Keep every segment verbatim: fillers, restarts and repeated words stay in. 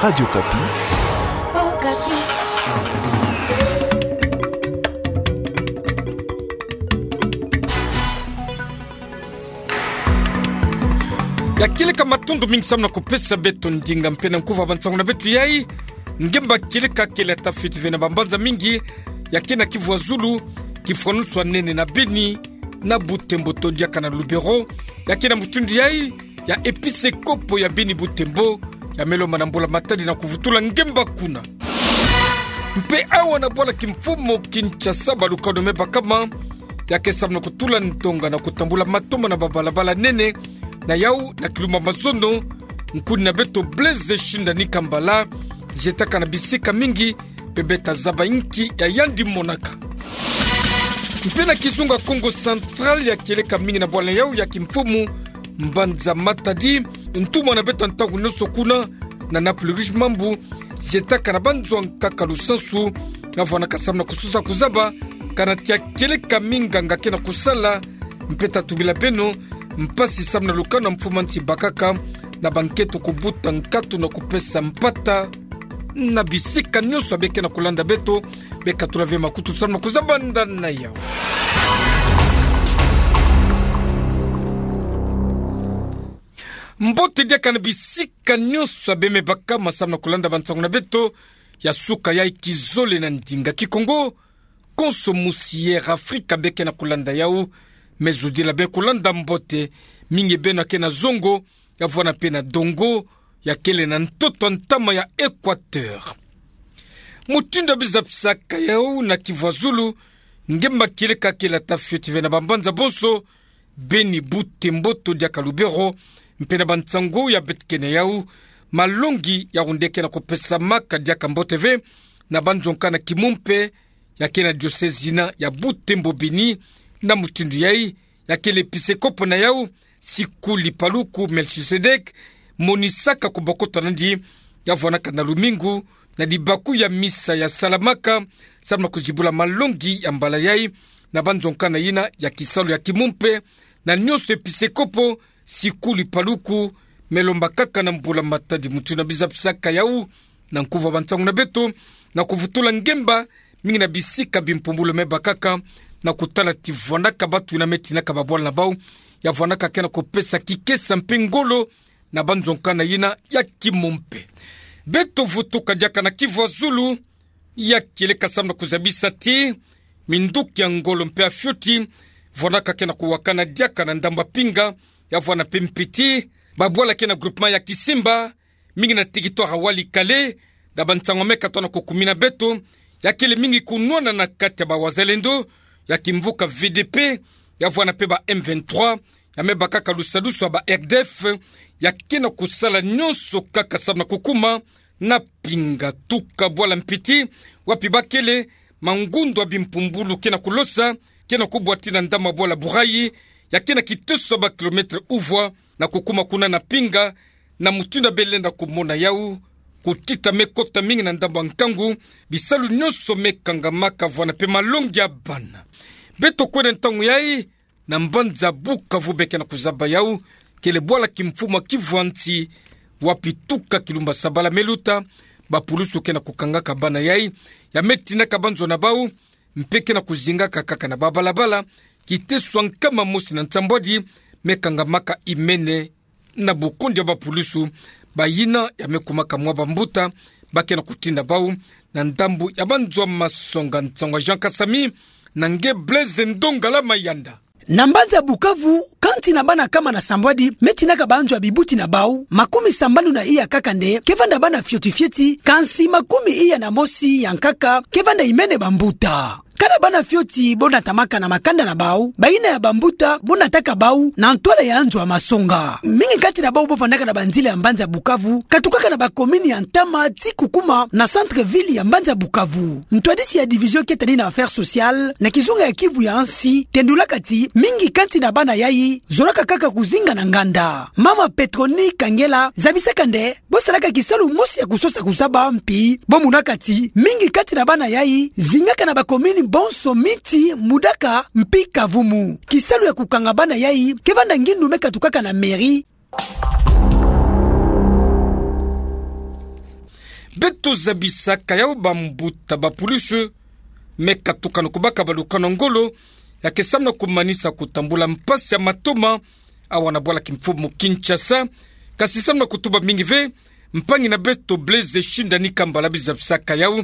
Radio Okapi. Okapi. Ya kieleka matondo mingi samu na kupesa beto ndinga mpe na nkuva bansangu na beto yai. Ngemba kieleka kele ata fioti ve na bambanza mingi ya ke na Kivu ya Zulu, kifwanusu ya nene na Beni, na Butembo to diaka na Lubero, ya ke na mutindu yai ya episekopo ya Beni Butembo, ya me lomba na mbula matadi na kuvutula ngemba kuna. Mpe awa na bwala kimfumu Kinshasa, balukanu me bakama, ya ke samu na kutula ndonga na kutambula matoma na babalabala nene, na yau na kilumba mazono, nkuni na beto Blaise Shindani Kambala, zietaka na bisika mingi, mpe beta zaba inki ya yandi monaka. Mpe na kizunga Kongo Central, ya kieleka mingi na bwala yau ya kimfumu, mbanza Matadi, ntumwa na beto ya ntangu nyonso kuna, na Naples Rouge Mambu, zietaka na banzo ya nkaka lusansu, ya vwanaka samu na kusosa kuzaba, kana tia kieleka mingi nganga ke na kusala, mpe ta tubila beno mpasi samu na lukanu ya mfumu ya nsi bakaka, na bankento kubuta nkatu na kupesa mpata, na bisika nyonso ya be ke na kulanda beto, be katula ve makutu samu na kuzaba nda na yau. Mbote diaka na bisika nyonso ya be me bakama samu na kulanda bansangu na beto ya suka yai kizole na ndinga Kikongo. Konso musi Air Afrika be ke na kulanda yau, me zudila be kulanda mbote, mingi beno ya ke na zongo, ya vwana mpe na dongo, ya kele na ntoto ntama ya Equateur. Mutindu ya biza pisaka yau na Kivu ya Zulu, ngemba kieleka kele ata fioti ve na bambanza bonso, Beni, Butembo to diaka Lubero, mpe na bansangu ya beto ke na yau, malongi ya wunde ke na kupesamaka diaka mbote ve, na banzo nkaka na Kimumpe, ya ke na diocèse yina ya Butembo Beni, na mutindu yai, ya kele episekopo na yau, Sikuli Paluku Melchisedek, monisaka kubokoto na yandi, ya vwanaka na lumingu, na libaku ya misa ya salamaka, samu na kuzibula malongi ya mbala yai, na banzo nkaka na yina ya kisalu ya Kimumpe, na nyonso episekopo, Sikuli Paluku, me lombakaka na mbula matadi mutindu ya biza pisaka yau, na nkuva bansangu na beto, na kuvutula ngemba, mingi na bisika bimpumbulu me bakaka, na kutala ti vwanaka batu yina me tinaka babwala na bau, ya vwanaka ke na kupesa kikesa mpe ngolo, na banzo nkaka na yina ya Kimumpe. Beto vutuka diaka na Kivu ya Zulu, ya kieleka samu na kuzabisa ti minduki ya ngolo mpe ya fioti, vwanaka ke na kuwakana diaka na ndambu ya Pinga, ya vwana mpe Mpiti, babwala ke na groupement ya Kisimba, mingi na territoire ya Walikale, na bansangu me katoa na kukumina beto, ya kele mingi kunwana na kati ya bawazalendo ya kimvuka V D P, ya vwana mpe ba M vingt-trois, ya me bakaka lusadusu ya ba R D F, ya ke na kusala nyonso kaka samu na kukuma na Pinga. Tuka bwala Mpiti, wapi bakele mangundu ya bimpumbulu ke na kulosa, ke na kubwa ti na ndambu ya bwala Burayi, ya ke na kitoso ya ba kilomètre uvwa, na kukuma kuna na Pinga, na mutindu ya be lenda kumona yau, kutita me kota mingi na ndambu ya nkangu, bisalu nyonso me kangamaka vwana mpe malongi ya bana. Beto kwenda ntangu yai, na mbanza Bukavu be ke na kuzaba yau, kele bwala kimfumu ya Kivu ya nsi, wapi tuka kilumba sabala me luta, bapulusu ke na kukangaka bana yai, ya me tinaka banzo na bau, mpe ke na kuzingaka kaka na babalabala, kiteso ya nkama mosi na nsambwadi, me kangamaka imene, na bukundi ya bapulusu, bayina ya me kumaka mwa bambuta, ba ke na kutinda bau, na ndambu ya banzo ya masonga. Nsangu ya Jean Kasami, na nge Blaise Ndongala Mayanda. Na mbanza Bukavu, kansi na bana kama na sambwadi, me tinaka banzo ya bibuti na bau, makumi sambanu na iya kaka nde ke vanda bana fioti fioti, kansi makumi iya na mosi ya nkaka ke vanda imene bambuta. Kana bana fioti bo natamaka na makanda na bau, bayina ya bambuta bo nataka bau na ntwala ya nzo ya masonga. Mingi kati na bau bo vandaka na banzila ya mbanza Bukavu, katukaka na bakomini ya ntama ti kukuma na centre-ville ya mbanza Bukavu. Ntwadisi ya division ketani na affaires sociales na kizunga ya Kivu ya nsi tendulaka ti mingi kati na bana yai zolaka kaka kuzinga na nganda. Mama Petroni Kangela zabisaka nde bo salaka kisalu mosi ya kusosa kuzaba mpi bo monaka ti mingi kati na bana yai zingaka na bakomini bonso miti, Mudaka mpi Kavumu. Kisalu ya kukanga bana yai ke vanda ngindu me katukaka na mairie. Beto zabisaka yawu bambuta bapulusu me katukana kubaka balukanu ngolo, ya ke samu na kumanisa kutambula mpasi ya matoma awa na bwala kimfumu Kinshasa. Kasi samu na kutuba mingi ve, mpangi na beto Blaise Shindani Kambala bi zabisaka yawu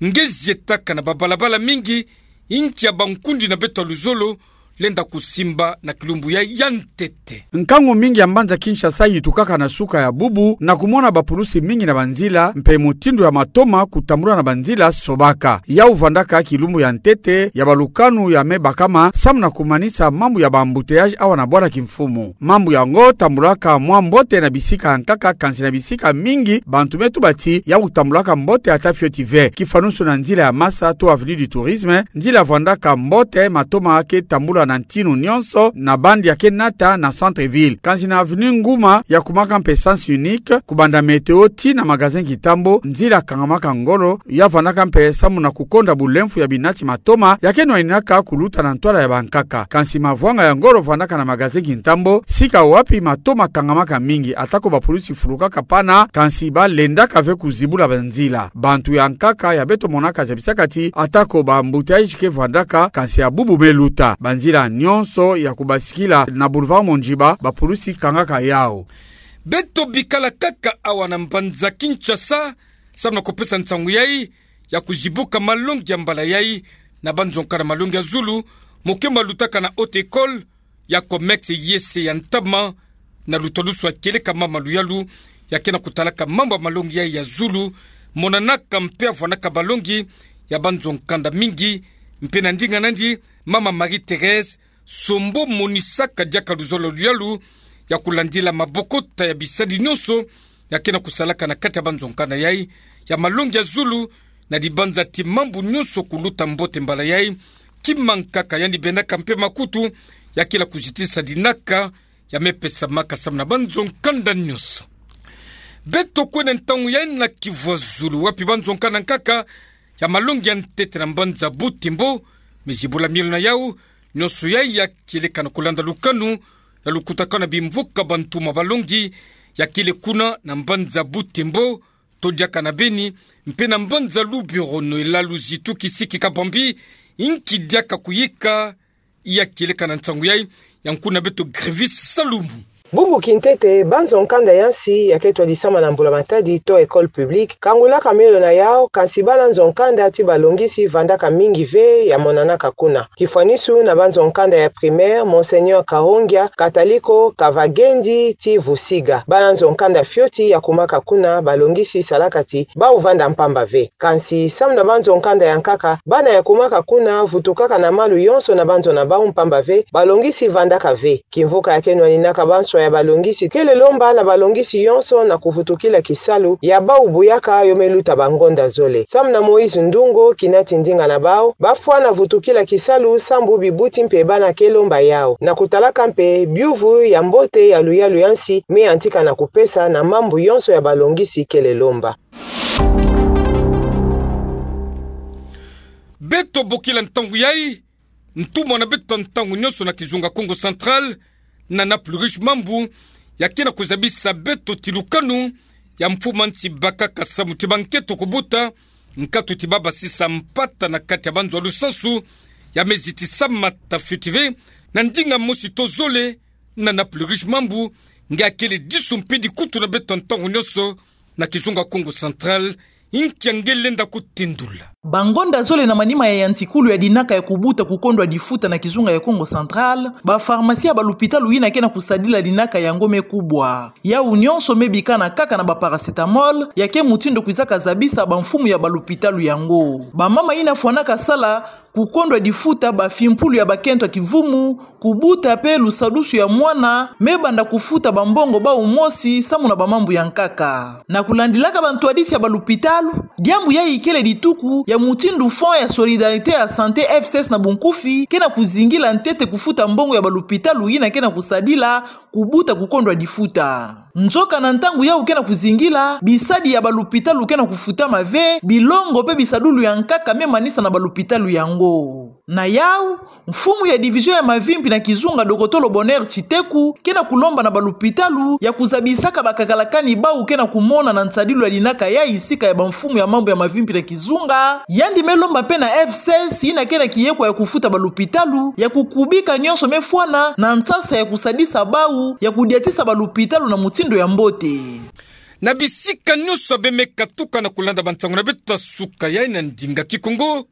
nge zietaka na babalabala mingi, inki ya bankundi na beto ya luzolo lenda kusimba na kilumbu ya, ya ntete. Nkangu mingi ya mbanza Kinshasa yitukaka na suka ya bubu, na kumona bapulusi mingi na banzila, mpe mutindu ya matoma kutambula na banzila sobaka. Yawu vwandaka kilumbu ya ntete ya balukanu ya me bakama, samu na kumanisa mambu ya ba-embouteillage awa na bwala kimfumu. Mambu yango tambulaka mwa mbote na bisika ya nkaka, kansi na bisika mingi bantu me tuba ti yawu tambulaka mbote ata fioti ve. Kifanusu na nzila ya masa to avenue du Tourisme, nzila vwandaka mbote, matoma ke tambula na ntinu nyonso na bande ya ke nata na centre-ville. Kansi na avenue Nguma, ya kumaka mpe sens unique, kubanda Météo tii na magasin Kintambo, nzila kangamaka ngolo, ya vwandaka mpe samu na kukonda bulemfu ya binati matoma ya ke nwaninaka kuluta na ntwala ya bankaka. Kansi mavwanga ya ngolo vwandaka na magasin Kintambo, sika wapi matoma kangamaka mingi, atako bapulusi fulukaka pana, kansi balendaka ve kuzibula banzila. Bantu ya nkaka ya beto monaka zabisaka ti atako ba-embouteillage ke vwandaka, kansi ya bubu me luta. Banzila nyonso ya kubasikila na boulevard Mondjiba, bapulusi kangaka yawu. Beto bikala kaka awa na mbanza Kinshasa, samu na kupesa nsangu yai ya kuzibuka malongi ya mbala yai na banzonka na malongi ya zulu, mokemba lutaka na haute école ya Comex, yese ya ntama, na lutadusu ya kieleka mama Luyalu, ya ke na kutalaka mambu ya malongi yai ya zulu, monanaka mpe ya vwandaka balongi ya banzonka mingi, mpe na ndinga nandi, mama Marie-Thérèse Sombo monisaka diaka luzolo Luyalu ya kulandila mabokota ya bisadi nyonso ya ke na kusalaka na kati ya banzonka yai ya malongi ya zulu, na dibanza ti mambu nyonso kuluta mbote mbala yai. Kima nkaka yandi bendaka mpe makutu, ya kila kuzitisa dinaka ya me pesamaka samu na banzonka nyonso. Beto kwenda ntangu yai na Kivu ya Zulu, wapi banzonka nkaka ya malongi ya ntete na mbanza Butembo me zibula mielo na yawu. Nyonso yai ya kieleka na kulanda lukanu ya lukutakanu ya bimvuka bantu ma balongi ya kele kuna na mbanza Butembo, to diaka na Beni, mpe na mbanza Lubero, Noëlla Luzitu Kisiki Kabambi, inki diaka kuyika ya kieleka na nsangu yai, ya nkuna beto Grevis Salumu. Bubu kintete, banzonka ya nsi ya ke twadisama na mbula-matadi to école publique, kangulaka mielo na yawu, kansi bana nzonka ti balongisi vandaka mingi ve ya monanaka kuna. Kifwanisu na banzonka ya primaire Monseigneur Kahongia, Kataliko, Kavagendi ti Vusiga. Bana nzonka fioti ya kumaka kuna, balongisi salaka ti bawu vanda mpamba ve. Kansi, samu na banzonka ya nkaka, bana ya kumaka kuna vutukaka na malu yonso na banzo na bawu mpamba ve, balongisi vandaka ve. Kimvuka ya ke nwaninaka banswa ya balongisi kele lomba na balongisi yonso na kuvutukila kisalu ya bawu buyaka yo me luta bangonda zole. Samu na Moïse Ndungo, kina ti ndinga na bawu, bafwana vutukila kisalu sambu bibuti mpe bana ke lomba yawu, na kutalaka mpe biuvu ya mbote ya luyalu ya nsi me yantika na kupesa na mambu yonso ya balongisi kele lomba. Beto bokila ntangu yai, ntumwa na beto ntangu nyonso na kizunga Kongo Central, Nana Plurish Mambu, ya ke na kuzabisa beto ti lukanu ya mfumu a nsi bakaka samu ti bankento kubuta nkatu ti babasisa mpata na kati ya banzo ya lusansu ya me zitisama ta fioti ve na ndinga mosi to zole. Nana Plurish Mambu, nge akele disu mpe dikutu na beto ntangu nyonso na kizunga Kongo Central, inki nge lenda kutindula. Bangonda zole na manima ya yantikulu ya dinaka ya kubuta kukondwa difuta na kizunga ya Kongo Central, bapharmacie ya balupitalu yina ke na kusadila dinaka yango me kubwa. Yawu nyonso me bikana kaka na baparacétamol, ya ke mutindu kwizaka zabisa bamfumu ya balupitalu yango. Bamama yina fwanaka sala kukondwa difuta, bafimpulu ya bakento ya kivumu, kubuta mpe lusadusu ya mwana, me banda kufuta bambongo bawu mosi samu na bamambu ya nkaka. Na kulandilaka bantwadisi ya balupitalu, diambu yai ikele dituku ya mutindu Fonds ya Solidarité ya Santé, F S S na bunkufi, ke na kuzingila ntete kufuta mbongo ya balupitalu yina ke na kusadila kubuta kukondwa difuta. Nzoka na ntangu yau ke na kuzingila, bisadi ya balupitalu ke na kufutama ve, bilongo pe bisadulu ya nkaka me manisa na balupitalu yango. Na yau, mfumu ya division ya mavimpi na kizunga, dokotolo Bonheur Tshiteku, ke na kulomba na balupitalu ya kuzabisaka bakakalakani bau ke na kumona na nsadilu ya linaka ya isika ya bamfumu ya mambu ya mavimpi na kizunga. Yandi me lomba pe na F C S, yina ke na kiyekwa ya kufuta balupitalu, ya kukubika nyonso me fwana na nsasa ya kusadisa bau ya kudiatisa balupitalu na mutindu ya mbote. Na bisika nyonso beno me katuka na kulanda bansangu na beto ya suka ya na ndinga Kikongo,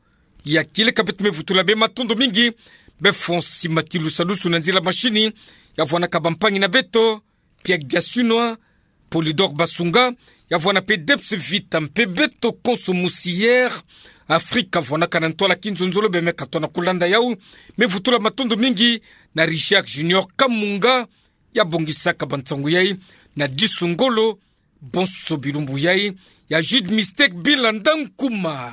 ya kieleka beto me vutula beno matondo mingi. Beno fonsi matilu salusu na nzila mashini, ya vwanaka bampangi na beto, Pierre Diasunwa, Polydor Basunga, ya vwana pe Debs Vita mpe beto konso musi Air Afrique vwanaka na ntwala kinzonzolo. Beno me katuka na kulanda yau, me vutula matondo mingi na Richard Junior Kamunga, ya bongisaka bansangu yai na disu ngolo, bonso bilumbu yai, ya Jude Mistake Bilanda Nkuma.